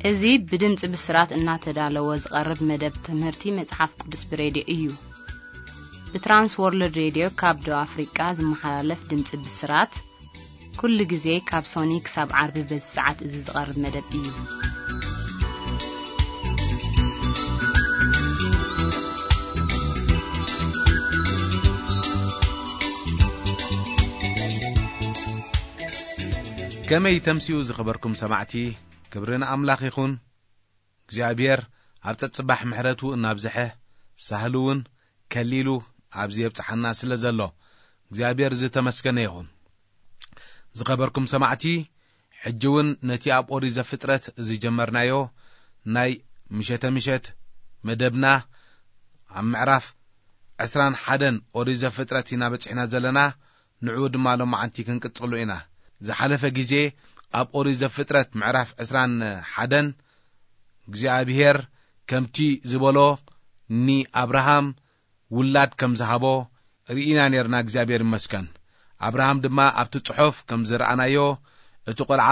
እዚ ብድምፂ ብስራት እናተዳለወ ዝቐርብ መደብ ትምህርቲ መጽሓፍ ቅዱስ ብሬድዮ እዩ። ብትራንስ ወርልድ ሬድዮ ካብ ደቡብ ኣፍሪቃ ዝመሓላለፍ ድምፂ ብስራት፣ ኩሉ ግዜ ካብ ሶኒ ክሳብ ዓርቢ በዚ ሰዓት እዚ ዝቐርብ መደብ እዩ። ከመይ ተምስዩ ዝኸበርኩም ሰማዕቲ፣ ክብሪ ንኣምላኽ ይኹን። እግዚኣብሔር ኣብ ጸጽባሕ ምሕረቱ እናብዝሐ፣ ሳህሉ እውን ከሊሉ ኣብዚ የብጽሓና ስለ ዘሎ፣ እግዚኣብሔር ዝተመስገነ ይኹን። ዝኸበርኩም ሰማዕቲ፣ ሕጂ እውን ነቲ ኣብ ኦሪት ዘፍጥረት ዝጀመርናዮ ናይ ምሸተ ምሸት መደብና ኣብ ምዕራፍ ዕስራን ሓደን ኦሪት ዘፍጥረት ኢና በጺሕና ዘለና። ንዕኡ ድማ ሎማዓንቲ ክንቅጽሉ ኢና። ዝሓለፈ ግዜ ኣብ ኦሪት ዘፍጥረት ምዕራፍ ዕስራን ሓደን እግዚኣብሔር ከምቲ ዝበሎ ንኣብርሃም ውላድ ከም ዝሃቦ ርኢና ኔርና። እግዚኣብሔር ይመስገን። ኣብርሃም ድማ ኣብቲ ጽሑፍ ከም ዝረኣናዮ እቲ ቆልዓ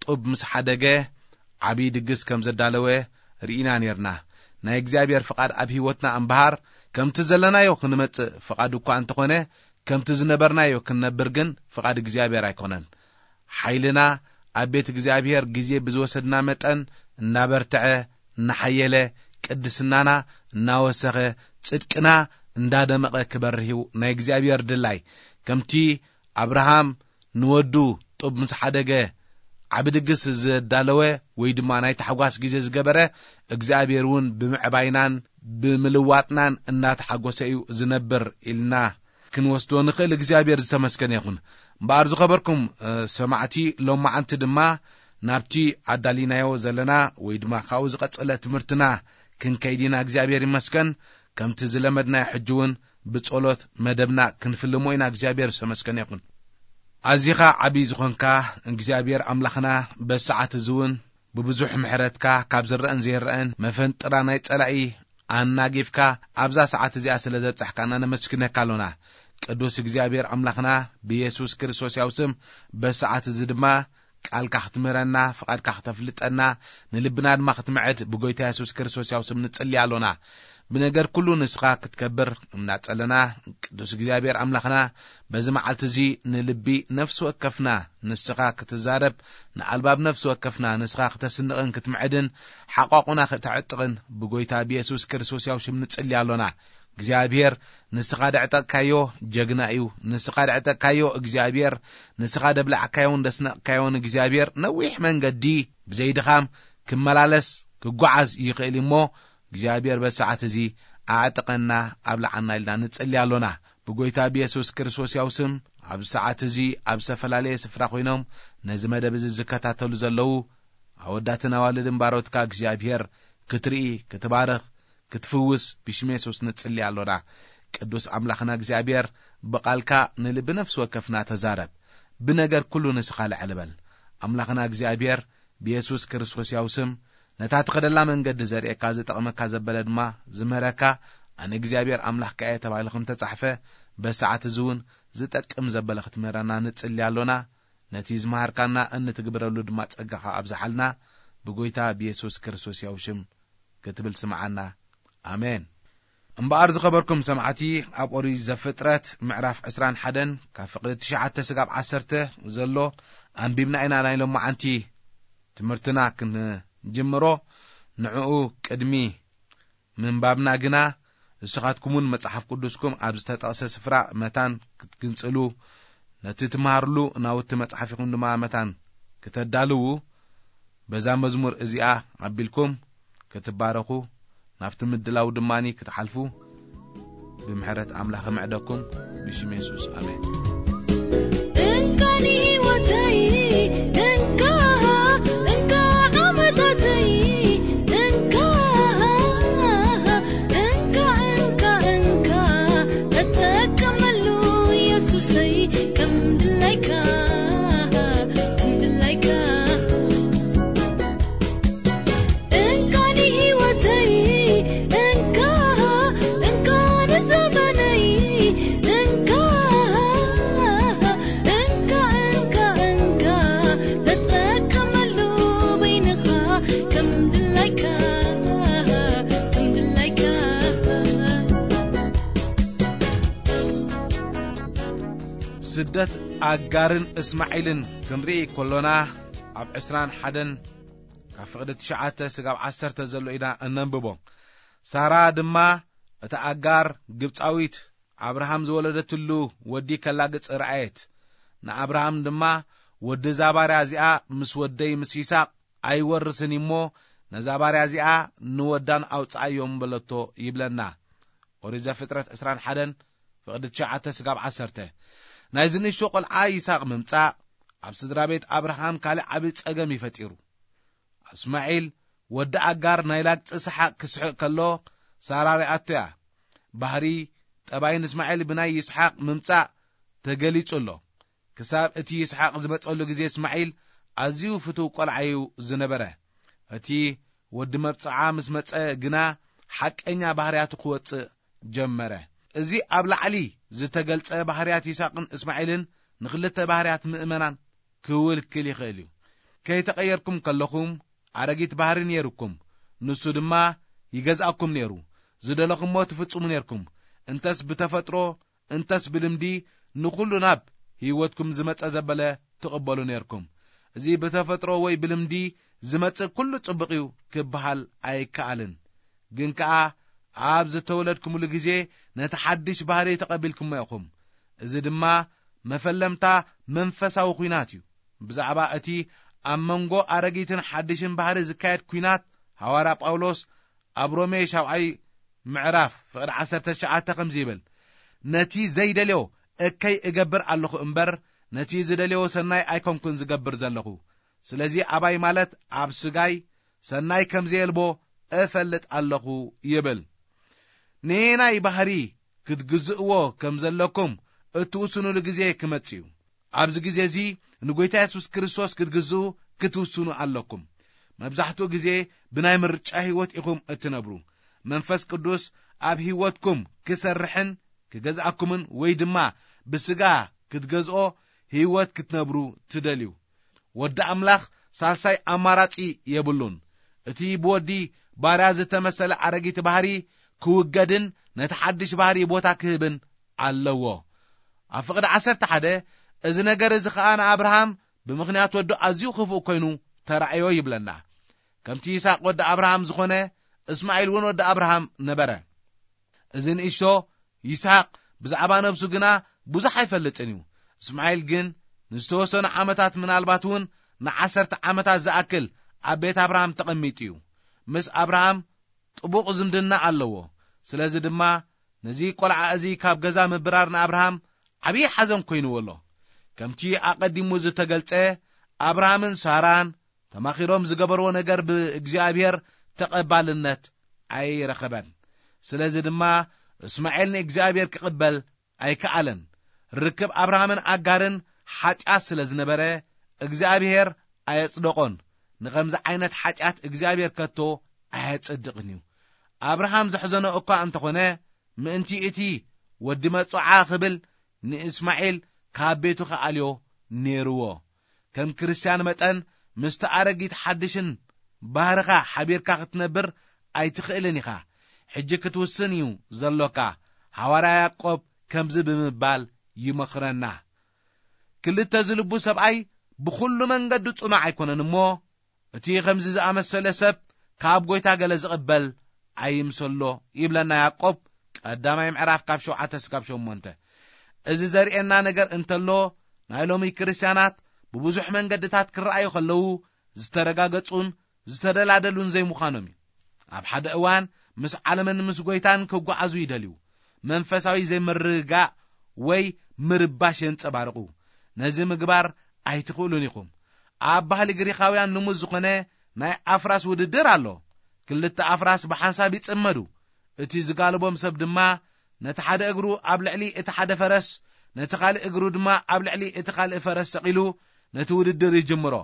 ጡብ ምስ ሓደገ ዓብዪ ድግስ ከም ዘዳለወ ርኢና ኔርና። ናይ እግዚኣብሔር ፍቓድ ኣብ ህይወትና እምበሃር ከምቲ ዘለናዮ ክንመጽእ ፍቓድ እኳ እንተኾነ፣ ከምቲ ዝነበርናዮ ክንነብር ግን ፍቓድ እግዚኣብሔር ኣይኮነን። ሓይልና ኣብ ቤት እግዚኣብሔር ግዜ ብዝወሰድና መጠን እናበርትዐ፣ እናሓየለ፣ ቅድስናና እናወሰኸ፣ ጽድቅና እንዳደመቐ ክበርህ እዩ ናይ እግዚኣብሔር ድላይ። ከምቲ ኣብርሃም ንወዱ ጡብ ምስ ሓደገ ዓቢ ድግስ ዘዳለወ ወይ ድማ ናይ ታሕጓስ ግዜ ዝገበረ፣ እግዚኣብሔር እውን ብምዕባይናን ብምልዋጥናን እናተሓጎሰ እዩ ዝነብር ኢልና ክንወስዶ ንኽእል። እግዚኣብሔር ዝተመስገነ ይኹን። እምበኣር ዝኸበርኩም፣ እ፣ ሰማዕቲ፣ ሎማዓንቲ ድማ ናብቲ ኣዳሊናዮ ዘለና ወይ ድማ ካብኡ ዝቐጸለ ትምህርትና ክንከይድ ኢና። እግዚኣብሔር ይመስገን። ከምቲ ዝለመድናዮ ሕጂ እውን ብጸሎት መደብና ክንፍልሞ ኢና። እግዚኣብሔር ዝተመስገነ ይኹን። ኣዚኻ ዓብዪ ዝኾንካ እግዚኣብሔር ኣምላኽና፣ በዚ ሰዓት እዚ እውን ብብዙሕ ምሕረትካ ካብ ዝረአን ዘይረአን መፈንጥራ ናይ ጸላኢ ኣናጊፍካ ኣብዛ ሰዓት እዚኣ ስለ ዘብጻሕካና ነመስግነካ ኣሎና። ቅዱስ እግዚኣብሔር ኣምላኽና፣ ብየሱስ ክርስቶስ ያው ስም በዚ ሰዓት እዚ ድማ ቃልካ ክትምህረና፣ ፍቓድካ ክተፍልጠና፣ ንልብና ድማ ክትምዕድ ብጎይታ የሱስ ክርስቶስ ያው ስም ንጽሊ ኣሎና። ብነገር ኩሉ ንስኻ ክትከብር እናጸለና፣ ቅዱስ እግዚኣብሔር ኣምላኽና፣ በዚ መዓልቲ እዚ ንልቢ ነፍሲ ወከፍና ንስኻ ክትዛረብ፣ ንኣልባብ ነፍሲ ወከፍና ንስኻ ክተስንቕን ክትምዕድን፣ ሓቋቑና ክተዕጥቕን ብጎይታ ብየሱስ ክርስቶስ ያው ሽም ንጽሊ ኣሎና። እግዚኣብሔር ንስኻ ደዕጠቕካዮ ጀግና እዩ። ንስኻ ደዕጠቕካዮ እግዚኣብሔር፣ ንስኻ ደብላዕካዮን ደስነቕካዮን እግዚኣብሔር፣ ነዊሕ መንገዲ ብዘይድኻም ክመላለስ ክጓዓዝ ይኽእል እዩ እሞ፣ እግዚኣብሔር በዚ ሰዓት እዚ ኣዕጥቐና ኣብልዓና ኢልና ንጽሊ ኣሎና። ብጎይታ ብየሱስ ክርስቶስ ያው ስም፣ ኣብዚ ሰዓት እዚ ኣብ ዝተፈላለየ ስፍራ ኮይኖም ነዚ መደብ እዚ ዝከታተሉ ዘለዉ ኣወዳትን ኣዋልድን ባሮትካ እግዚኣብሔር ክትርኢ፣ ክትባርኽ፣ ክትፍውስ ብሽም የሱስ ንጽሊ ኣሎና። ቅዱስ ኣምላኽና እግዚኣብሔር፣ ብቓልካ ንልቢ ነፍሲ ወከፍና ተዛረብ። ብነገር ኩሉ ንስኻ ልዕል በል። ኣምላኽና እግዚኣብሔር፣ ብየሱስ ክርስቶስ ያው ስም፣ ነታ ትኸደላ መንገዲ ዘርእየካ፣ ዝጠቕመካ ዘበለ ድማ ዝምህረካ፣ ኣነ እግዚኣብሔር ኣምላኽካ እየ ተባሂሉ ከም ተጻሕፈ፣ በሰዓት እዚ እውን ዝጠቅም ዘበለ ክትምህረና ንጽሊ ኣሎና። ነቲ ዝመሃርካና እንትግብረሉ ድማ ጸጋኻ ኣብዝሓልና፣ ብጎይታ ብየሱስ ክርስቶስ ያው ሽም ክትብል ስምዓና። ኣሜን። እምበኣር ዝኸበርኩም ሰማዕቲ፣ ኣብ ኦሪት ዘፍጥረት ምዕራፍ ዕስራን ሓደን ካብ ፍቕዲ ትሽዓተ ስጋብ ዓሰርተ ዘሎ ኣንቢብና ኢና ናይ ሎማዓንቲ ትምህርትና ክንጅምሮ። ንዕኡ ቅድሚ ምንባብና ግና፣ ንስኻትኩምን መጽሓፍ ቅዱስኩም ኣብ ዝተጠቕሰ ስፍራ መታን ክትግንጽሉ፣ ነቲ ትመሃርሉ ናውቲ መጽሓፊኹም ድማ መታን ክተዳልዉ፣ በዛ መዝሙር እዚኣ ኣቢልኩም ክትባረኹ፣ ናብቲ ምድላው ድማኒ ክትሓልፉ ብምሕረት ኣምላኽ እምዕደኩም፣ ብሽም የሱስ፣ ኣሜን። እንካ ንህይወተይ፣ እንካ፣ እንካ ዓመታተይ፣ እንካ፣ እንካ፣ እንካ፣ እንካ፣ እጠቀመሉ የሱሰይ፣ ከም ድላይካ፣ ከም ድላይካ። እንካ ንህይወተይ፣ እንካ፣ እንካ ንዘመነይ፣ እንካ፣ ስደት ኣጋርን እስማዒልን ክንርኢ ከሎና፣ ኣብ ዕስራን ሓደን ካብ ፍቕዲ ትሽዓተ ስጋብ ዓሰርተ ዘሎ ኢና እነንብቦ። ሳራ ድማ እታ ኣጋር ግብጻዊት፣ ኣብርሃም ዝወለደትሉ ወዲ ከላግጽ ረኣየት። ንኣብርሃም ድማ፣ "ወዲ እዛ ባርያ እዚኣ ምስ ወደይ ምስ ይስሐቅ ኣይወርስን እሞ፣ ነዛ ባርያ እዚኣ ንወዳን ኣውጽኣዮም" በለቶ ይብለና። ኦሪት ዘፍጥረት ዕስራን ሓደን ፍቕዲ ትሽዓተ ስጋብ ዓሰርተ። ናይዚ ንእሽቶ ቆልዓ ይስሐቅ ምምጻእ ኣብ ስድራ ቤት ኣብርሃም ካልእ ዓቢ ጸገም እዩ ፈጢሩ። እስማዒል ወዲ ኣጋር ናይ ላግጺ ሰሓቕ ክስሕቕ ከሎ፣ ሳራ ርኣቶ እያ። ባህሪ ጠባይን እስማዒል ብናይ ይስሓቕ ምምጻእ ተገሊጹ ኣሎ። ክሳብ እቲ ይስሓቕ ዝመጸሉ ግዜ እስማዒል ኣዝዩ ፍቱው ቆልዓ እዩ ዝነበረ። እቲ ወዲ መብጽዓ ምስ መጸ ግና ሓቀኛ ባህርያቱ ክወጽእ ጀመረ። እዚ ኣብ ላዕሊ ዝተገልጸ ባህርያት ይስሓቕን እስማዒልን ንኽልተ ባህርያት ምእመናን ክውልክል ይኽእል እዩ። ከይተቐየርኩም ከለኹም ኣረጊት ባህሪ ነይሩኩም፣ ንሱ ድማ ይገዝኣኩም ነይሩ። ዝደለኹሞ ትፍጽሙ ነይርኩም። እንተስ ብተፈጥሮ እንተስ ብልምዲ ንኹሉ ናብ ህይወትኩም ዝመጸ ዘበለ ትቕበሉ ነይርኩም። እዚ ብተፈጥሮ ወይ ብልምዲ ዝመጽእ ኩሉ ጽቡቕ እዩ ክበሃል ኣይከኣልን። ግን ከኣ ኣብ ዝተወለድኩምሉ ግዜ ነቲ ሓድሽ ባህሪ ተቐቢልኩሞ ኢኹም። እዚ ድማ መፈለምታ መንፈሳዊ ኲናት እዩ። ብዛዕባ እቲ ኣብ መንጎ ኣረጊትን ሓድሽን ባህሪ ዝካየድ ኲናት፣ ሃዋርያ ጳውሎስ ኣብ ሮሜ ሻብዓይ ምዕራፍ ፍቕዲ ዓሰርተ ትሽዓተ ከምዚ ይብል፣ "ነቲ ዘይደልዮ እከይ እገብር ኣለኹ እምበር፣ ነቲ ዝደልዮ ሰናይ ኣይኮንኩን ዝገብር ዘለኹ። ስለዚ ኣባይ ማለት ኣብ ስጋይ ሰናይ ከም ዘየልቦ እፈልጥ ኣለኹ" ይብል። ነየናይ ባህሪ ክትግዝእዎ ከም ዘለኩም እትውስኑሉ ግዜ ክመጽእ እዩ። ኣብዚ ግዜ እዚ ንጎይታ የሱስ ክርስቶስ ክትግዝኡ ክትውስኑ ኣለኩም። መብዛሕትኡ ግዜ ብናይ ምርጫ ህይወት ኢኹም እትነብሩ። መንፈስ ቅዱስ ኣብ ህይወትኩም ክሰርሕን ክገዝኣኩምን ወይ ድማ ብስጋ ክትገዝኦ ህይወት ክትነብሩ ትደልዩ። ወዲ ኣምላኽ ሳልሳይ ኣማራጺ የብሉን። እቲ ብወዲ ባርያ ዝተመሰለ ኣረጊት ባህሪ ክውገድን ነቲ ሓድሽ ባህሪ ቦታ ክህብን ኣለዎ። ኣብ ፍቕዲ ዓሰርተ ሓደ፣ እዚ ነገር እዚ ኸኣ ንኣብርሃም ብምኽንያት ወዱ ኣዝዩ ክፉእ ኮይኑ ተራእዮ ይብለና። ከምቲ ይስሓቅ ወዲ ኣብርሃም ዝኾነ፣ እስማዒል እውን ወዲ ኣብርሃም ነበረ። እዚ ንእሽቶ ይስሓቅ ብዛዕባ ነብሱ ግና ብዙሕ ኣይፈልጥን እዩ። እስማዒል ግን ንዝተወሰኑ ዓመታት፣ ምናልባት እውን ንዓሰርተ ዓመታት ዝኣክል ኣብ ቤት ኣብርሃም ተቐሚጡ እዩ። ምስ ኣብርሃም ጥቡቕ ዝምድና ኣለዎ። ስለዚ ድማ ነዚ ቆልዓ እዚ ካብ ገዛ ምብራር ንኣብርሃም ዓብዪ ሓዘን ኮይንዎ ኣሎ። ከምቲ ኣቐዲሙ ዝተገልጸ፣ ኣብርሃምን ሳራን ተማኺሮም ዝገበርዎ ነገር ብእግዚኣብሔር ተቐባልነት ኣይረኸበን። ስለዚ ድማ እስማኤል ንእግዚኣብሔር ክቕበል ኣይከኣለን። ርክብ ኣብርሃምን ኣጋርን ሓጢኣት ስለ ዝነበረ እግዚኣብሔር ኣየጽደቖን። ንኸምዚ ዓይነት ሓጢኣት እግዚኣብሔር ከቶ ኣየጸድቕን እዩ። ኣብርሃም ዘሕዘኖ እኳ እንተኾነ፣ ምእንቲ እቲ ወዲ መጽውዓ ክብል ንእስማኤል ካብ ቤቱ ክኣልዮ ነይርዎ። ከም ክርስትያን መጠን ምስቲ ኣረጊት ሓድሽን ባህርኻ ሓቢርካ ክትነብር ኣይትኽእልን ኢኻ። ሕጂ ክትውስን እዩ ዘሎካ። ሃዋርያ ያዕቆብ ከምዚ ብምባል ይመኽረና፣ "ክልተ ዝልቡ ሰብኣይ ብኹሉ መንገዱ ጽኑዕ ኣይኮነን እሞ፣ እቲ ከምዚ ዝኣመሰለ ሰብ ካብ ጐይታ ገለ ዝቕበል ኣይምሰሎ" ይብለና ያዕቆብ፣ ቀዳማይ ምዕራፍ ካብ ሸውዓተ እስካብ ሸሞንተ። እዚ ዘርእየና ነገር እንተሎ፣ ናይ ሎሚ ክርስትያናት ብብዙሕ መንገድታት ክረኣዩ ከለዉ ዝተረጋገጹን ዝተደላደሉን ዘይምዃኖም እዩ። ኣብ ሓደ እዋን ምስ ዓለምን ምስ ጐይታን ክጓዓዙ ይደልዩ። መንፈሳዊ ዘይምርግጋእ ወይ ምርባሽ የንጸባርቑ። ነዚ ምግባር ኣይትኽእሉን ኢኹም። ኣብ ባህሊ ግሪኻውያን ልሙድ ዝኾነ ናይ ኣፍራስ ውድድር ኣሎ። ክልተ ኣፍራስ ብሓንሳብ ይጽመዱ። እቲ ዝጋልቦም ሰብ ድማ ነቲ ሓደ እግሩ ኣብ ልዕሊ እቲ ሓደ ፈረስ፣ ነቲ ካልእ እግሩ ድማ ኣብ ልዕሊ እቲ ካልእ ፈረስ ሰቒሉ ነቲ ውድድር ይጅምሮ።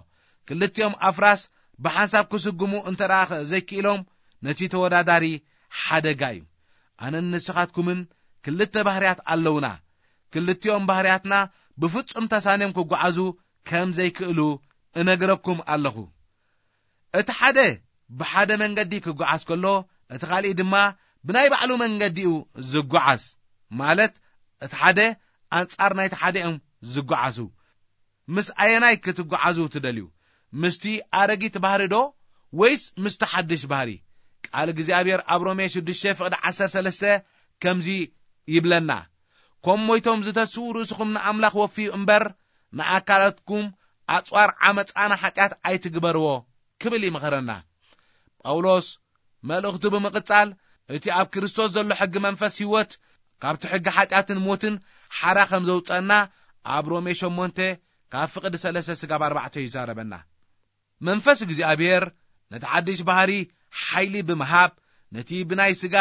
ክልቲኦም ኣፍራስ ብሓንሳብ ክስጉሙ እንተ ደኣ ዘይክኢሎም፣ ነቲ ተወዳዳሪ ሓደጋ እዩ። ኣነን ንስኻትኩምን ክልተ ባህርያት ኣለውና። ክልቲኦም ባህርያትና ብፍጹም ተሳንዮም ክጓዓዙ ከም ዘይክእሉ እነግረኩም ኣለኹ። እቲ ሓደ ብሓደ መንገዲ ክጓዓዝ ከሎ፣ እቲ ካልእ ድማ ብናይ ባዕሉ መንገዲ እዩ ዝጓዓዝ። ማለት፣ እቲ ሓደ ኣንጻር ናይቲ ሓደ እዮም ዝጓዓዙ? ምስ ኣየናይ ክትጓዓዙ ትደልዩ? ምስቲ ኣረጊት ባህሪ ዶ ወይስ ምስቲ ሓድሽ ባህሪ? ቃል እግዚኣብሔር ኣብ ሮሜ ሽዱሽተ ፍቕዲ ዓሰርተ ሰለስተ ከምዚ ይብለና፣ ከም ሞይቶም ዝተስኡ ርእስኹም ንኣምላኽ ወፍዩ እምበር፣ ንኣካላትኩም ኣጽዋር ዓመፃ ንሓጢኣት ኣይትግበርዎ ክብል ይምኸረና። ጳውሎስ መልእኽቱ ብምቕጻል፣ እቲ ኣብ ክርስቶስ ዘሎ ሕጊ መንፈስ ህይወት ካብቲ ሕጊ ሓጢኣትን ሞትን ሓራ ከም ዘውፀና ኣብ ሮሜ ሸሞንተ ካብ ፍቕዲ ሰለስተ ስጋብ ኣርባዕተ ይዛረበና። መንፈስ እግዚኣብሔር ነቲ ሓድሽ ባህሪ ሓይሊ ብምሃብ ነቲ ብናይ ስጋ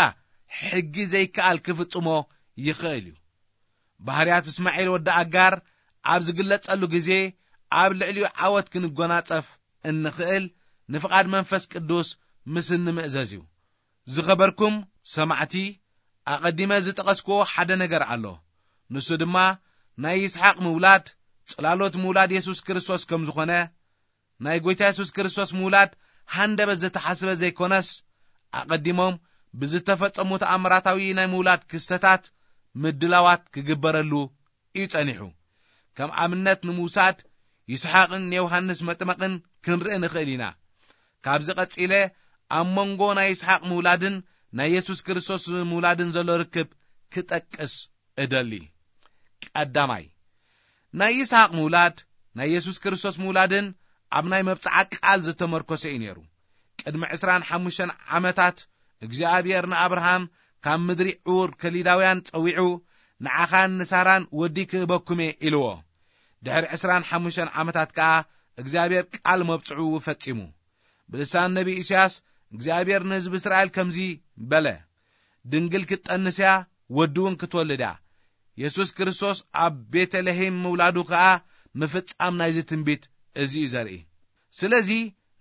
ሕጊ ዘይከኣል ክፍጽሞ ይኽእል እዩ። ባህርያት እስማዒል ወዲ ኣጋር ኣብ ዝግለጸሉ ግዜ ኣብ ልዕሊኡ ዓወት ክንጎናጸፍ እንኽእል ንፍቓድ መንፈስ ቅዱስ ምስ እንምእዘዝ እዩ። ዝኸበርኩም ሰማዕቲ፣ ኣቐዲመ ዝጠቐስክዎ ሓደ ነገር ኣሎ። ንሱ ድማ ናይ ይስሓቅ ምውላድ ጽላሎት ምውላድ የሱስ ክርስቶስ ከም ዝኾነ፣ ናይ ጐይታ የሱስ ክርስቶስ ምውላድ ሃንደበት ዝተሓስበ ዘይኮነስ፣ ኣቐዲሞም ብዝተፈጸሙ ተኣምራታዊ ናይ ምውላድ ክስተታት ምድላዋት ክግበረሉ እዩ ጸኒሑ። ከም ኣብነት ንምውሳድ፣ ይስሓቅን ንዮሃንስ መጥመቕን ክንርኢ ንኽእል ኢና። ካብዚ ቀጺለ ኣብ መንጎ ናይ ይስሓቅ ምውላድን ናይ የሱስ ክርስቶስ ምውላድን ዘሎ ርክብ ክጠቅስ እደሊ። ቀዳማይ፣ ናይ ይስሓቅ ምውላድ ናይ የሱስ ክርስቶስ ምውላድን ኣብ ናይ መብጽዓ ቃል ዝተመርኮሰ እዩ ነይሩ። ቅድሚ ዕስራን ሓሙሽተን ዓመታት እግዚኣብሔር ንኣብርሃም ካብ ምድሪ ዑር ከሊዳውያን ጸዊዑ፣ "ንዓኻን ንሳራን ወዲ ክህበኩም እየ" ኢልዎ። ድሕሪ ዕስራን ሓሙሽተን ዓመታት ከኣ እግዚኣብሔር ቃል መብጽዑ ፈጺሙ። ብልሳን ነቢ ኢሳያስ እግዚኣብሔር ንህዝቢ እስራኤል ከምዚ በለ፣ "ድንግል ክትጠንስ እያ፣ ወዲ እውን ክትወልድ እያ።" የሱስ ክርስቶስ ኣብ ቤተልሔም ምውላዱ ከኣ ምፍጻም ናይዚ ትንቢት እዚ እዩ ዘርኢ። ስለዚ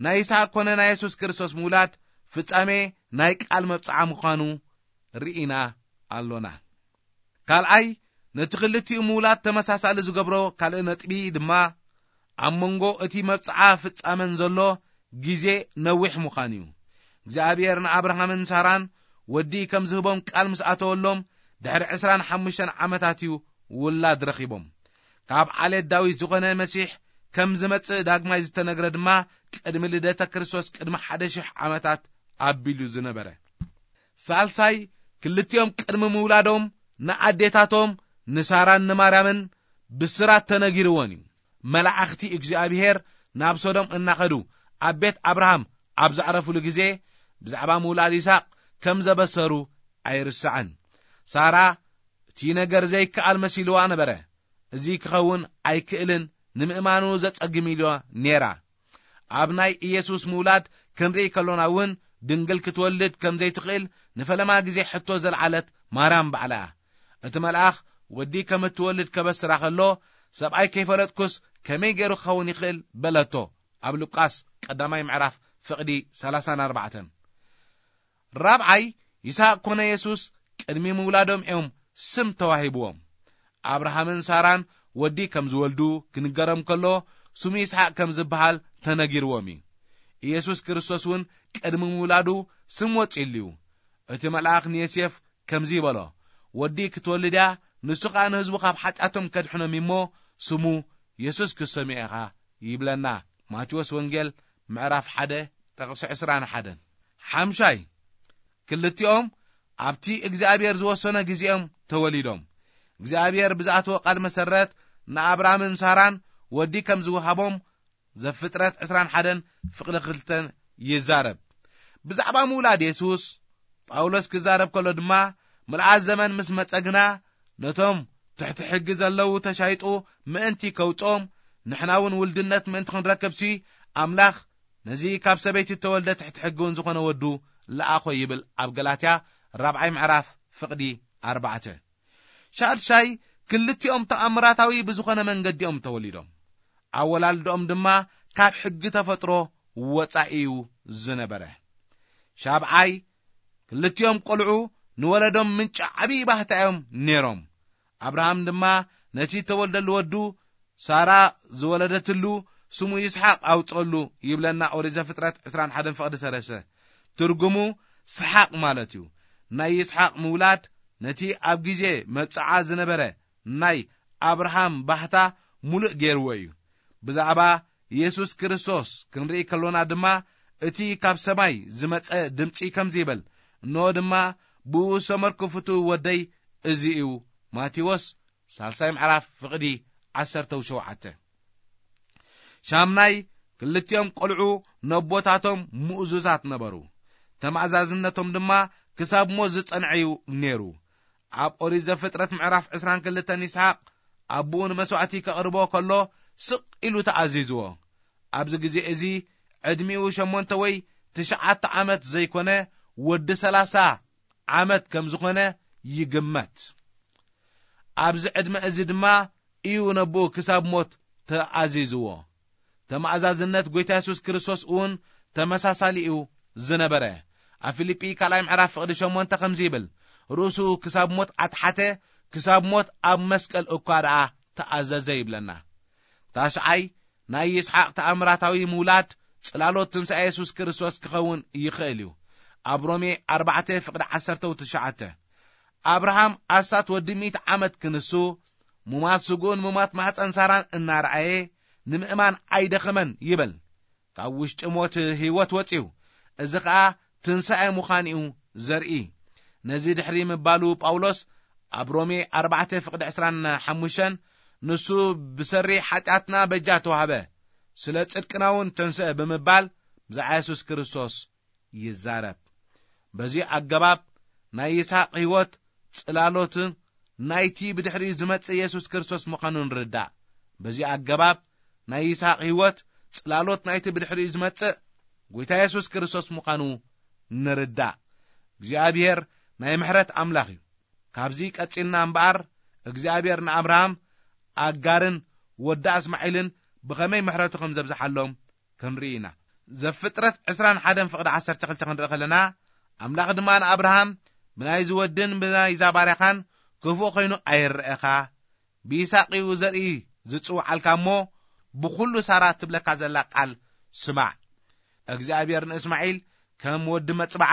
ናይ ይስሓቅ ኮነ ናይ የሱስ ክርስቶስ ምውላድ ፍጻሜ ናይ ቃል መብጽዓ ምዃኑ ርኢና ኣሎና። ካልኣይ፣ ነቲ ክልቲኡ ምውላድ ተመሳሳሊ ዝገብሮ ካልእ ነጥቢ ድማ ኣብ መንጎ እቲ መብጽዓ ፍጻመን ዘሎ ግዜ ነዊሕ ምዃኑ እዩ። እግዚኣብሔር ንኣብርሃምን ሳራን ወዲ ከም ዝህቦም ቃል ምስ ኣተወሎም ድሕሪ ዕስራን ሓሙሽተን ዓመታት እዩ ውላድ ረኺቦም። ካብ ዓሌት ዳዊት ዝኾነ መሲሕ ከም ዝመጽእ ዳግማይ ዝተነግረ ድማ ቅድሚ ልደተ ክርስቶስ ቅድሚ ሓደ ሽሕ ዓመታት ኣቢሉ ዝነበረ። ሳልሳይ፣ ክልቲኦም ቅድሚ ምውላዶም ንኣዴታቶም ንሳራን ንማርያምን ብስራት ተነጊርወን እዩ። መላእኽቲ እግዚኣብሔር ናብ ሶዶም እናኸዱ ኣብ ቤት ኣብርሃም ኣብ ዘዕረፉሉ ግዜ ብዛዕባ ምውላድ ይስሓቅ ከም ዘበሰሩ ኣይርሳዕን። ሳራ እቲ ነገር ዘይከኣል መሲልዋ ነበረ። እዚ ክኸውን ኣይክእልን፣ ንምእማኑ ዘጸግም ኢልዋ ነይራ። ኣብ ናይ ኢየሱስ ምውላድ ክንርኢ ከሎና እውን ድንግል ክትወልድ ከም ዘይትኽእል ንፈለማ ግዜ ሕቶ ዘልዓለት ማርያም ባዕላ እያ። እቲ መልኣኽ ወዲ ከም እትወልድ ከበስራ ከሎ፣ "ሰብኣይ ከይፈለጥኩስ ከመይ ገይሩ ክኸውን ይኽእል?" በለቶ። ኣብ ሉቃስ ቀዳማይ ምዕራፍ ፍቕዲ ሰላሳን ኣርባዕተን። ራብዓይ፣ ይስሐቅ ኮነ የሱስ ቅድሚ ምውላዶም እዮም ስም ተዋሂብዎም። ኣብርሃምን ሳራን ወዲ ከም ዝወልዱ ክንገሮም ከሎ፣ ስሙ ይስሐቅ ከም ዝበሃል ተነጊርዎም እዩ። ኢየሱስ ክርስቶስ እውን ቅድሚ ምውላዱ ስም ወጺእሉ እዩ። እቲ መልኣኽ ንዮሴፍ ከምዚ ይበሎ፣ "ወዲ ክትወልድ እያ፣ ንሱ ኸኣ ንህዝቡ ካብ ሓጢኣቶም ከድሕኖም እሞ ስሙ የሱስ ክትሰምዮ ኢኻ" ይብለና። ማቴዎስ ወንጌል ምዕራፍ ሓደ ጥቕሲ ዕስራን ሓደን። ሓምሻይ፣ ክልቲኦም ኣብቲ እግዚኣብሔር ዝወሰኖ ግዜኦም ተወሊዶም። እግዚኣብሔር ብዝኣተዎ ቃል መሰረት ንኣብራምን ሳራን ወዲ ከም ዝወሃቦም ዘፍጥረት ዕስራን ሓደን ፍቕዲ ክልተን ይዛረብ። ብዛዕባ ምውላድ የሱስ ጳውሎስ ክዛረብ ከሎ ድማ፣ "ምልኣት ዘመን ምስ መጸ ግና ነቶም ትሕቲ ሕጊ ዘለዉ ተሻይጡ ምእንቲ ከውጽኦም፣ ንሕና እውን ውልድነት ምእንቲ ክንረክብሲ ኣምላኽ ነዚ ካብ ሰበይቲ እተወልደ ትሕቲ ሕጊ እውን ዝኾነ ወዱ ለኣኾ" ይብል ኣብ ገላትያ ራብዓይ ምዕራፍ ፍቕዲ ኣርባዕተ። ሻድሻይ፣ ክልቲኦም ተኣምራታዊ ብዝኾነ መንገዲኦም ተወሊዶም። ኣወላልድኦም ድማ ካብ ሕጊ ተፈጥሮ ወጻኢ እዩ ዝነበረ። ሻብዓይ፣ ክልቲኦም ቆልዑ ንወለዶም ምንጪ ዓብዪ ባህታ እዮም ነይሮም። ኣብርሃም ድማ ነቲ ተወልደሉ ወዱ ሳራ ዝወለደትሉ ስሙ ይስሓቅ ኣውጸሉ ይብለና ኦሪት ዘፍጥረት ዕስራን ሓደን ፍቕዲ ሰለስተ። ትርጉሙ ሰሓቅ ማለት እዩ። ናይ ይስሓቅ ምውላድ ነቲ ኣብ ግዜ መብጽዓ ዝነበረ ናይ ኣብርሃም ባህታ ምሉእ ገይርዎ እዩ። ብዛዕባ የሱስ ክርስቶስ ክንርኢ ከሎና ድማ፣ እቲ ካብ ሰማይ ዝመጸ ድምጺ ከምዚ ይብል፣ እንሆ ድማ ብኡ ሰመርኩ ፍቱው ወደይ እዚ እዩ። ማቴዎስ ሳልሳይ ምዕራፍ ፍቕዲ ዓሰርተ ሸውዓተ። ሻምናይ፣ ክልቲኦም ቆልዑ ነቦታቶም ምእዙዛት ነበሩ። ተማእዛዝነቶም ድማ ክሳብ ሞት ዝጸንዐ እዩ ነይሩ። ኣብ ኦሪት ዘፍጥረት ምዕራፍ ዕስራን ክልተን ይስሓቅ ኣቦኡ ንመስዋዕቲ ከቕርቦ ከሎ ስቕ ኢሉ ተኣዚዝዎ። ኣብዚ ግዜ እዚ ዕድሚኡ ሸሞንተ ወይ ትሽዓተ ዓመት ዘይኮነ ወዲ ሰላሳ ዓመት ከም ዝኾነ ይግመት። ኣብዚ ዕድመ እዚ ድማ እዩ ነቦኡ ክሳብ ሞት ተኣዚዝዎ። ተማእዛዝነት ጎይታ የሱስ ክርስቶስ እውን ተመሳሳሊ እዩ ዝነበረ። ኣብ ፊልጲ ካልኣይ ምዕራፍ ፍቕዲ ሸሞንተ ከምዚ ይብል፣ ርእሱ ክሳብ ሞት ኣትሓተ፣ ክሳብ ሞት ኣብ መስቀል እኳ ደኣ ተኣዘዘ ይብለና። ታሽዓይ፣ ናይ ይስሓቅ ተኣምራታዊ ምውላድ ጽላሎት ትንሳኤ የሱስ ክርስቶስ ክኸውን ይኽእል እዩ። ኣብ ሮሜ ኣርባዕተ ፍቕዲ ዓሰርተ ትሽዓተ፣ ኣብርሃም ኣስታት ወዲ ሚእቲ ዓመት ክንሱ፣ ሙማት ስግኡን ሙማት ማህፀን ሳራን እናረኣየ ንምእማን ኣይደኸመን ይብል። ካብ ውሽጢ ሞት ህይወት ወፅዩ፣ እዚ ኸኣ ትንሳኤ ምዃን እዩ ዘርኢ። ነዚ ድሕሪ ምባሉ ጳውሎስ ኣብ ሮሜ ኣርባዕተ ፍቕዲ ዕስራን ሓሙሽተን፣ ንሱ ብሰሪ ሓጢኣትና በጃ ተዋህበ፣ ስለ ጽድቅና እውን ተንስአ ብምባል ብዛዕባ የሱስ ክርስቶስ ይዛረብ። በዚ ኣገባብ ናይ ይስሓቅ ህይወት ጽላሎትን ናይቲ ብድሕሪኡ ዝመጽእ የሱስ ክርስቶስ ምዃኑ ንርዳእ። በዚ ኣገባብ ናይ ይስሓቅ ህይወት ጽላሎት ናይቲ ብድሕሪኡ ዝመጽእ ጎይታ የሱስ ክርስቶስ ምዃኑ ንርዳእ። እግዚኣብሔር ናይ ምሕረት ኣምላኽ እዩ። ካብዚ ቀጺልና እምበኣር እግዚኣብሔር ንኣብርሃም፣ ኣጋርን ወዳ እስማዒልን ብኸመይ ምሕረቱ ከም ዘብዝሓሎም ክንርኢ ኢና። ዘፍጥረት ዕስራን ሓደን ፍቕዲ ዓሰርተ ክልተ ክንርኢ ከለና፣ ኣምላኽ ድማ ንኣብርሃም፣ ብናይዚ ወድን ብናይዛ ባርያኻን ክፉእ ኮይኑ ኣይረኣኻ፣ ብይስሓቅ እዩ ዘርኢ ዝጽውዓልካ እሞ፣ ብኹሉ ሳራ ትብለካ ዘላ ቃል ስማዕ። እግዚኣብሔር ንእስማዒል ከም ወዲ መጽብዓ፣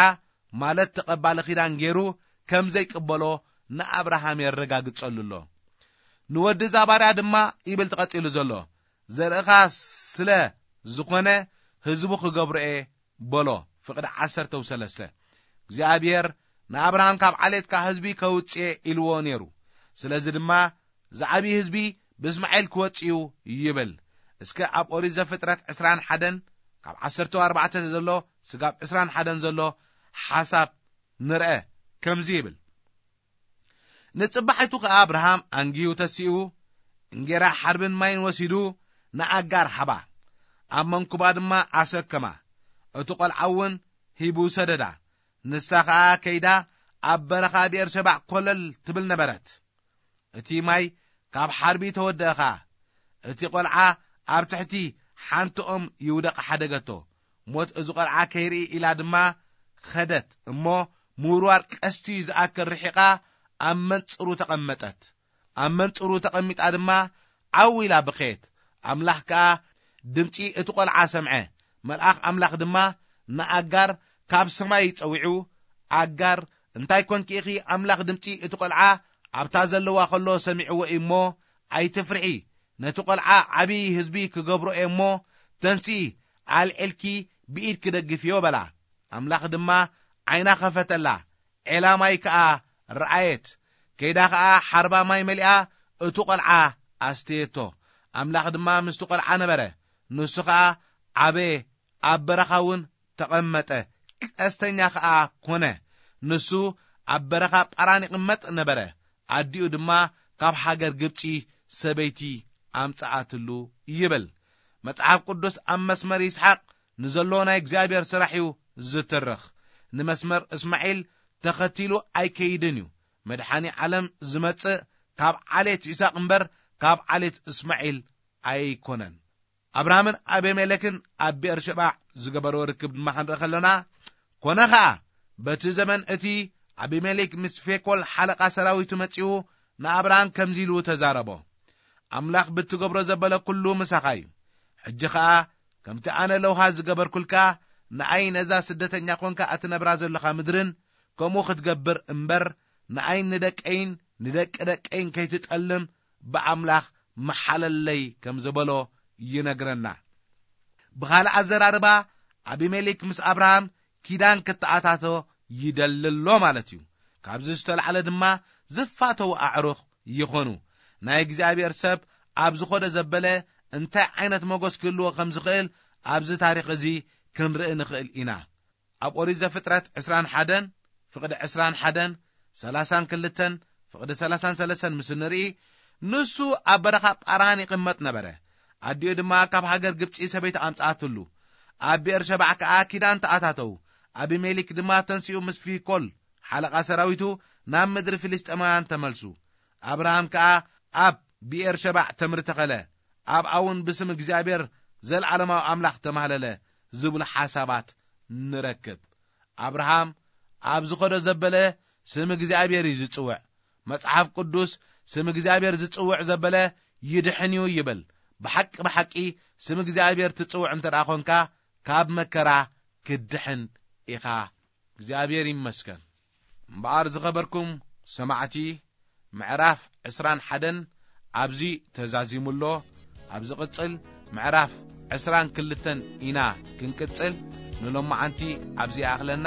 ማለት ተቐባሊ ኪዳን ገይሩ ከም ዘይቅበሎ ንኣብርሃም የረጋግጸሉ ኣሎ። ንወዲ እዛ ባርያ ድማ ይብል ተቐጺሉ ዘሎ፣ ዘርእኻ ስለ ዝኾነ ህዝቡ ክገብሮ እየ በሎ። ፍቕዲ ዓሰርተ ሰለስተ፣ እግዚኣብሔር ንኣብርሃም ካብ ዓሌትካ ህዝቢ ከውጽእ ኢልዎ ነይሩ። ስለዚ ድማ ዝዓብዪ ህዝቢ ብእስማኤል ክወጽእ እዩ ይብል። እስከ ኣብ ኦሪት ዘፍጥረት ዕስራን ሓደን ካብ ዓሰርተ ኣርባዕተ ዘሎ ስጋብ ዕስራን ሓደን ዘሎ ሓሳብ ንርአ። ከምዚ ይብል፣ ንጽባሒቱ ኸኣ ኣብርሃም ኣንጊሁ ተሲኡ፣ እንጌራ ሓርብን ማይን ወሲዱ ንኣጋር ሃባ፣ ኣብ መንኩባ ድማ ኣሰከማ። እቲ ቈልዓ እውን ሂቡ ሰደዳ። ንሳ ኸኣ ከይዳ ኣብ በረኻ ብኤርሸባዕ ኮለል ትብል ነበረት። እቲ ማይ ካብ ሓርቢ ተወደአ ኸኣ፣ እቲ ቈልዓ ኣብ ትሕቲ ሓንቲ ኦም ይውደቕ ሓደገቶ። ሞት እዚ ቈልዓ ከይርኢ ኢላ ድማ ኸደት እሞ፣ ምውርዋር ቀስቲ ዝኣክል ርሒቓ ኣብ መንጽሩ ተቐመጠት። ኣብ መንጽሩ ተቐሚጣ ድማ ዓው ኢላ በኸየት። ኣምላኽ ከኣ ድምጺ እቲ ቈልዓ ሰምዐ። መልኣኽ ኣምላኽ ድማ ንኣጋር ካብ ሰማይ ጸዊዑ፣ ኣጋር፣ እንታይ ኰንኪ ኢኺ? ኣምላኽ ድምጺ እቲ ቈልዓ ኣብታ ዘለዋ ኸሎ ሰሚዕዎ እዩ እሞ፣ ኣይትፍርሒ። ነቲ ቈልዓ ዓብዪ ህዝቢ ክገብሮ እየ እሞ፣ ተንስኢ፣ ኣልዒልኪ ብኢድኪ ደግፍዮ በላ። ኣምላኽ ድማ ዓይና ኸፈተላ፣ ዔላ ማይ ከኣ ረኣየት። ከይዳ ኸኣ ሓርባ ማይ መሊኣ፣ እቲ ቈልዓ ኣስተየቶ። ኣምላኽ ድማ ምስቲ ቈልዓ ነበረ። ንሱ ኸኣ ዓበየ፣ ኣብ በረኻ እውን ተቐመጠ፣ ቀስተኛ ኸኣ ኰነ። ንሱ ኣብ በረኻ ጳራን ይቕመጥ ነበረ። ኣዲኡ ድማ ካብ ሃገር ግብጺ ሰበይቲ ኣምጽኣትሉ ይብል። መጽሓፍ ቅዱስ ኣብ መስመር ይስሓቅ ንዘሎ ናይ እግዚኣብሔር ስራሕ እዩ ዝትርኽ። ንመስመር እስማዒል ተኸቲሉ ኣይከይድን እዩ። መድሓኒ ዓለም ዝመጽእ ካብ ዓሌት ይስሓቅ እምበር ካብ ዓሌት እስማዒል ኣይኮነን። ኣብርሃምን ኣቤሜሌክን ኣብ ብኤርሸባዕ ዝገበርዎ ርክብ ድማ ክንርኢ ከለና፣ ኮነ ኸኣ፣ በቲ ዘመን እቲ ኣቢሜሌክ ምስ ፌኮል ሓለቓ ሰራዊቱ መጺኡ ንኣብርሃም ከምዚ ኢሉ ተዛረቦ፣ ኣምላኽ ብትገብሮ ዘበለ ኩሉ ምሳኻ እዩ። ሕጂ ኸኣ ከምቲ ኣነ ለውሃ ዝገበርኩልካ፣ ንኣይ ነዛ ስደተኛ ኾንካ እትነብራ ዘለኻ ምድርን ከምኡ ክትገብር እምበር፣ ንኣይን ንደቀይን ንደቂ ደቀይን ከይትጠልም ብኣምላኽ መሓለለይ ከም ዝበሎ ይነግረና። ብኻልእ ኣዘራርባ፣ ኣቢሜሌክ ምስ ኣብርሃም ኪዳን ክተኣታቶ ይደሊ ኣሎ ማለት እዩ። ካብዚ ዝተላዕለ ድማ ዝፋተዉ ኣዕሩኽ ይኾኑ። ናይ እግዚኣብሔር ሰብ ኣብ ዝኾደ ዘበለ እንታይ ዓይነት መጎስ ክህልዎ ከም ዝኽእል ኣብዚ ታሪኽ እዚ ክንርኢ ንኽእል ኢና። ኣብ ኦሪት ዘፍጥረት ዕስራን ሓደን፣ ፍቕዲ ዕስራን ሓደን፣ ሰላሳን ክልተን፣ ፍቕዲ ሰላሳን ሰለስተን ምስ ንርኢ፣ ንሱ ኣብ በረኻ ጳራን ይቕመጥ ነበረ። ኣዲኡ ድማ ካብ ሃገር ግብጺ ሰበይቲ ኣምጽኣትሉ። ኣብ ብኤር ሸባዕ ከኣ ኪዳን ተኣታተው። ኣቢሜሌክ ድማ ተንሲኡ ምስ ፊኮል ሓለቓ ሰራዊቱ ናብ ምድሪ ፍልስጤማውያን ተመልሱ። ኣብርሃም ከኣ ኣብ ብኤር ሸባዕ ተምሪ ተኸለ። ኣብኣ እውን ብስም እግዚኣብሔር ዘለዓለማዊ ኣምላኽ ተማህለለ ዝብሉ ሓሳባት ንረክብ። ኣብርሃም ኣብ ዝኾዶ ዘበለ ስም እግዚኣብሔር እዩ ዝጽውዕ። መጽሓፍ ቅዱስ ስም እግዚኣብሔር ዝጽውዕ ዘበለ ይድሕን እዩ ይብል። ብሓቂ ብሓቂ ስም እግዚኣብሔር ትጽውዕ እንተ ደኣ ኾንካ ካብ መከራ ክትድሕን ኢኻ። እግዚኣብሔር ይመስገን። እምበኣር ዝኸበርኩም ሰማዕቲ፣ ምዕራፍ ዕስራን ሓደን ኣብዚ ተዛዚሙ ኣሎ። ኣብ ዝቕጽል ምዕራፍ ዕስራን ክልተን ኢና ክንቅጽል። ንሎማዓንቲ ኣብዚ ይኣኽለና።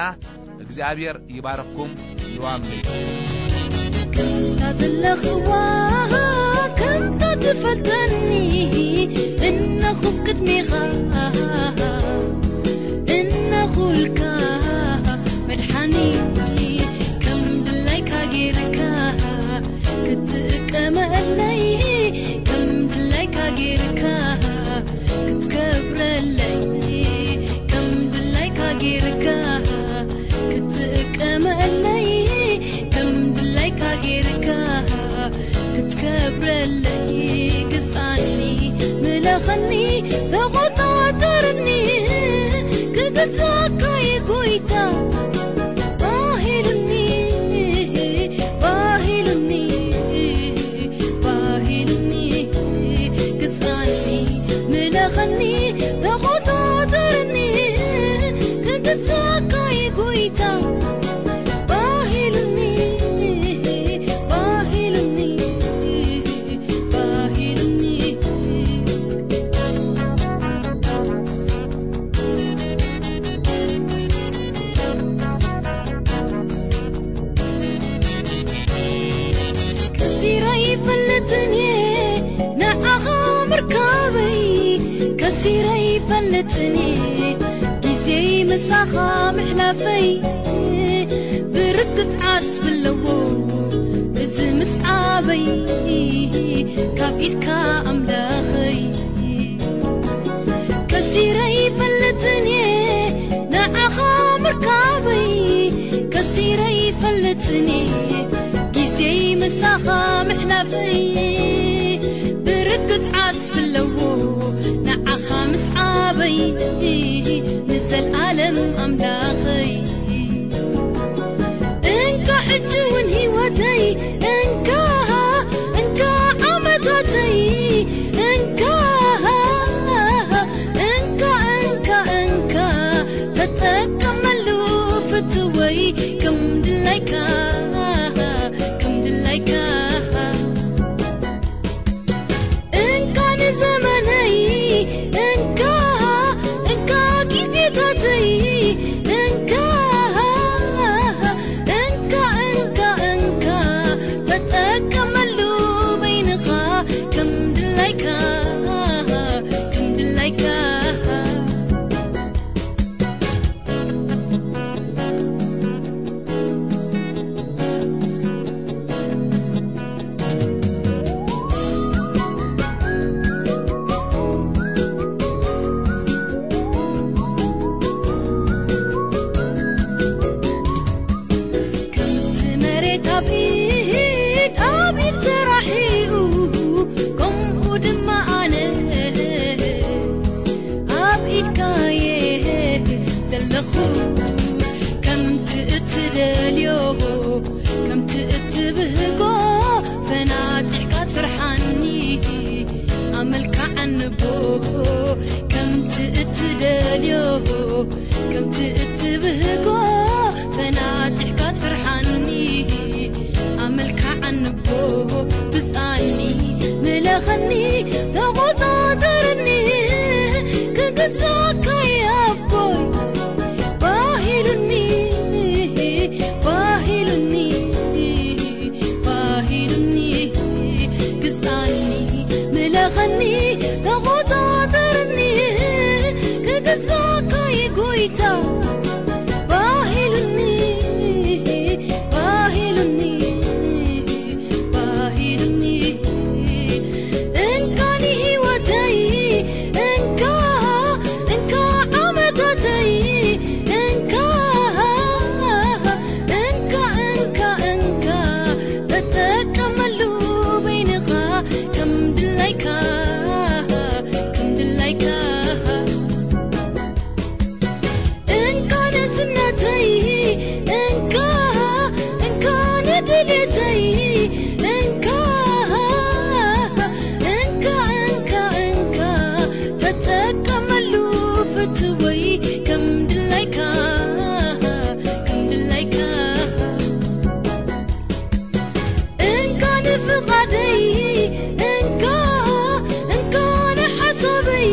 እግዚኣብሔር ይባርኽኩም። ልዋም ለይቲ። ከምታ ዘለኽዋ ከምታ ትፈልጠኒ እነኹ ቅድሜኻ እነኹልካ መድሓኒ ከም ድላይካ ጌርካ ክትጥቀመለይ ከም ድላይካ ጌርካ ክትከብረለይ ከም ድላይካ ጌርካ ክትጥቀመለይ ከም ድላይካ ጌርካ ክትከብረለይ ግዛኒ ምለኸኒ ተቆጣጠርኒ ክግዛካ ይጎይታ ባሂሉኒ ባሂሉኒ ባሂሉኒ ግዛኒ ምለኸኒ ተቆጣጠርኒ ክግዛካ ይጎይታ ባሂሉኒ ባሂሉኒ ባሂሉኒ ከሲረ ይፈልጥን እየ ንዓኻ ምርካበይ ከሲረ ይፈልጥን እየ ግዜይ ምሳኻ ምሕላፈይ ብርግጽ ዓስቢ ኣለዎ እዚ ምስዓበይ ካብ ኢድካ ኣምላኸይ ከሲረ ይፈልጥን እየ ንዓኻ ምርካበይ ከሲረ ይፈልጥን እየ ግዜይ ምሳኻ ምሕላፈይ ብርግጽ ዓስቢ ኣለዎ ንዓኻ ምስዓበይ ንዘልኣለም ኣምላኸይ እንካ ሕጂ እውን ህይወተይ እንካ እንካ ዓመታተይ እንካ እንካ እንካ እንካ ተጠቀመሉ ፍትወይ ከም ድላይካ ከም ድላይካ እንካ ንዘመነይ እንካ እንካ ግዜታተይ እንካ እንካ እንካ እንካ ተጠቀመሉ በይንኻ ከም ድላይካ ከም ድላይካ ከምቲ መሬት ኣብ ኢድ ኣብ ኢድ ሰራሒኡ ከምኡ ድማ ኣነ ኣብ ኢድካየ ዘለኹ ከምቲ እትደልዮ ከምቲ እትብህጎ ፈናጢሕካ ስርሓኒ ኣመልካዓኒ ቦ ከምቲ እትደልዮ ከምቲ እትብህጎ ፈናጢሕካ ስርሓኒ ኣመልካዓ ኣንቦ ብጻኒ፣ ምለኸኒ፣ ተቖጻጸርኒ፣ ክግዛእካ ኣቦይ። ባሂሉኒ፣ ባሂሉኒ፣ ባሂሉኒ፣ ግዛእኒ፣ ምለኸኒ፣ ተቖጻጸርኒ፣ ክግዛእካ ጎይታ። ባሂሉኒ፣ ባሂሉኒ፣ ባሂሉኒ። እንካ ንህይወተይ፣ እንካ፣ እንካ ዓመታተይ፣ እንካ፣ እንካ፣ እንካ፣ እንካ፣ ተጠቀመሉ በይንኻ ከም ድላይካ፣ ከም ድላይካ። እንካ ንዝነተይ፣ እንካ፣ እንካ ንድሌተይ፣ እንካ፣ እንካ፣ እንካ፣ እንካ፣ ተጠቀመሉ ፍትወይ ከም ድላይካ፣ ከም ድላይካ። እንካ ንፍቓደይ፣ እንካ፣ እንካ ንሓሳበይ፣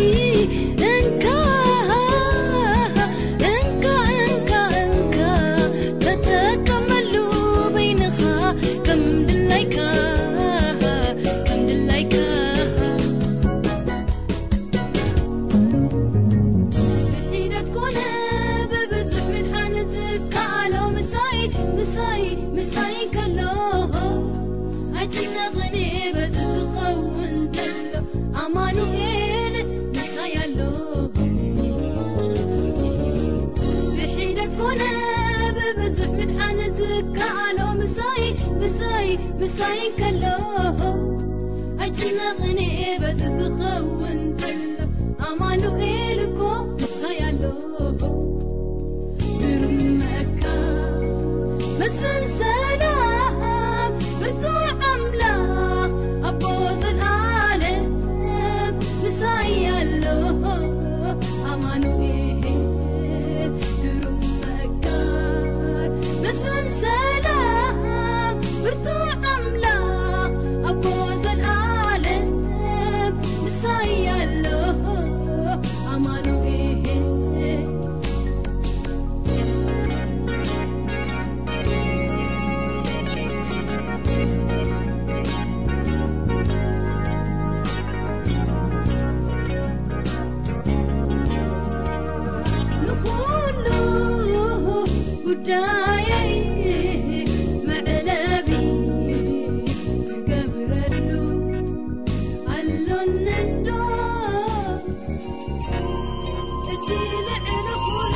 እንካ፣ እንካ፣ እንካ፣ እንካ፣ ተጠቀመሉ በይንኻ ከም ድላይካ፣ ከም ድላይካ። ብሒደት ኮነ ብብዙሕ ምድሓን ዝከኣሎ ምሳይ፣ ምሳይ፣ ምሳይ ከሎ ኣይጭነቕን በዚ ዝኸውን ዘሎ ኣማኑኤል ምሳይ ኣሎ። ብሒደት ኮነ ብብዙሕ ምድሓን ዝከኣሎ ምሳይ፣ ምሳይ፣ ምሳይ ከሎ ኣይጭነቕን በዚ ዝኸውን ዘሎ ኣማኑኤል እኮ ምሳይ ኣሎ። ግርም መካ መስፍን ሰላም ብርቱዕ ኣምላኽ ኣቦ ዘልኣለም ምሳይ ኣሎ። ኣማኑኤል ግሩም መካር መስፍን ሰላም ብርቱዕ ኣምላኽ ኣቦ ዘልኣለም ምሳይ ኣሎ። ኣማኑኤል ንኹሉ ጉዳየይ መዕለቢ ዝገብረሉ ኣሎኒ እንዶ እቲ ልዕሊ ኩሉ።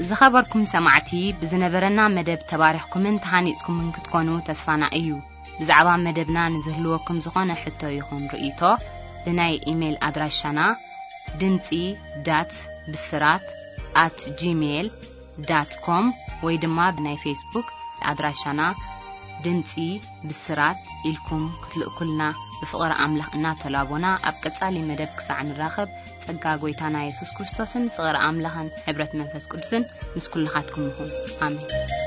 ዝኸበርኩም ሰማዕቲ፣ ብዝነበረና መደብ ተባሪኽኩምን ተሃኒጽኩምን ክትኮኑ ተስፋና እዩ። ብዛዕባ መደብና ንዝህልወኩም ዝኾነ ሕቶ ይኹን ርእይቶ፣ ብናይ ኢሜይል ኣድራሻና ድምጺ ዳት ብስራት ኣት ጂሜይል ዳት ኮም ወይ ድማ ብናይ ፌስቡክ ኣድራሻና ድምጺ ብስራት ኢልኩም ክትልእኩልና ብፍቕሪ ኣምላኽ እናተላቦና፣ ኣብ ቀጻሊ መደብ ክሳዕ ንራኸብ፣ ጸጋ ጐይታና የሱስ ክርስቶስን ፍቕሪ ኣምላኽን ሕብረት መንፈስ ቅዱስን ምስ ኩልኻትኩም ይኹን። ኣሜን።